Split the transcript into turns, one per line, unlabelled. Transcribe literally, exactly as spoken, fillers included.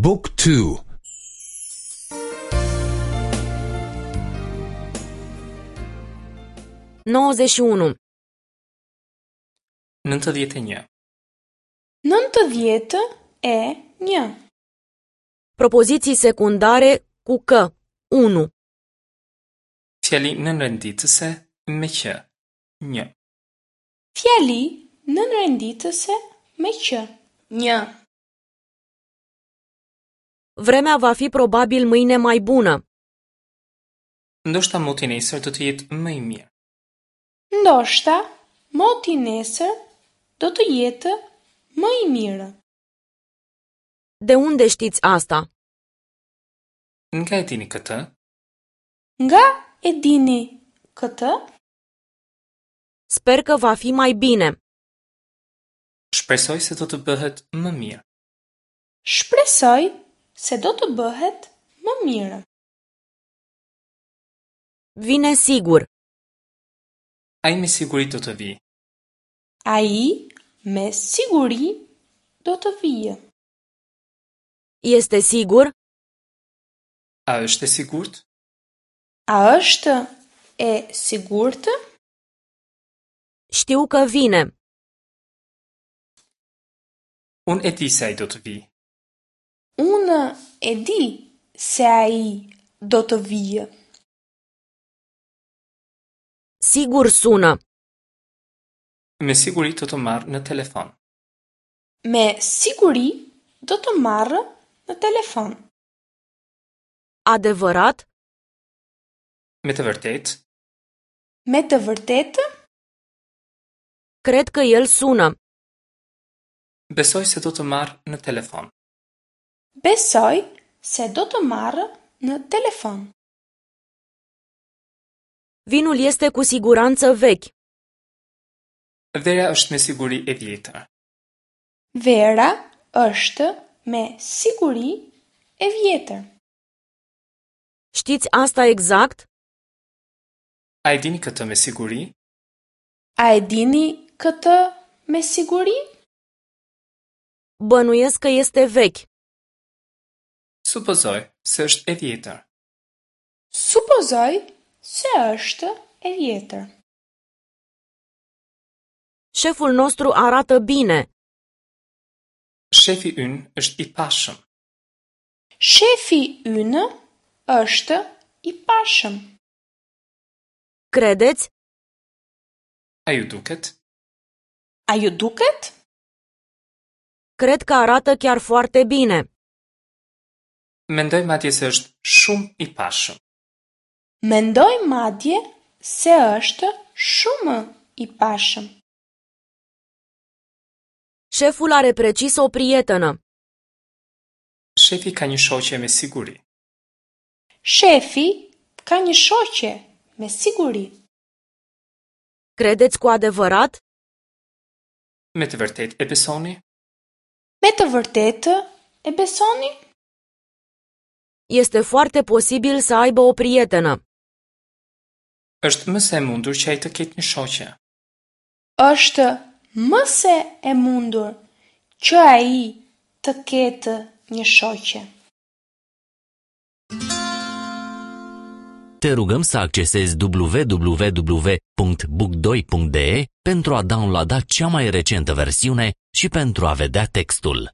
Book two.
nouăzeci și unu.
Nëntëdhjetë e një.
Nëntëdhjetë e një.
Propoziții secundare cu că. Unu.
Fjali nënrenditëse me që. Një.
Fjali nënrenditëse me që. Një.
Vremea va fi probabil mâine mai bună.
Ndoshta moti nesër do të jetë më i mirë.
Ndoshta moti nesër do të jetë më i mirë.
De unde știți asta?
Nga e dini këtë?
Nga e dini këtë?
Sper că va fi mai bine.
Shpresoj se do të bëhet më mirë.
Shpresoj se do të bëhet më mirë.
Vine sigur.
Ai me siguri do të vijë.
Ai me siguri do të vijë.
Este sigur?
A është e sigurt?
A është e sigurt?
Știu că vine.
Unë e di se ai do të vijë.
Unë e di se ai do të vijë.
Sigur sună.
Me siguri do të marr në telefon.
Me siguri do të marr në telefon.
Adevărat?
Me të vërtetë?
Me të vërtetë?
Cred că el sună.
Besoj se do të marr në telefon.
Besoj se do të marr në telefon.
Vinul este cu siguranță vechi.
Vera është me siguri e vjetër.
Vera është me siguri e vjetër.
Știți asta exact?
A e dini këtë me siguri?
A e dini këtë me siguri?
Bănuiesc că este vechi.
Supozoj se është e vjetër.
Supozoj se është e vjetër.
Șeful nostru arată bine.
Shefi ynë është i pashëm.
Shefi ynë është i pashëm.
Credeți?
A ju duket?
A ju duket?
Cred că arată chiar foarte bine.
Mendoj madje se është shumë i pashëm.
Mendoj madje se është shumë i pashëm.
Șeful are precis o prietenă.
Shefi ka një shoqe me siguri.
Shefi ka një shoqe me siguri.
Credeți cu adevărat?
Me të vërtetë e besoni?
Me të vërtetë e besoni?
Este foarte posibil să aibă o prietenă.
Është më se e mundur që ai të ketë një shoqe.
Është më se e mundur që ai të ketë një shoqe.
Te rugăm să accesezi w w w punct book doi punct d e pentru a downloada cea mai recentă versiune și pentru a vedea textul.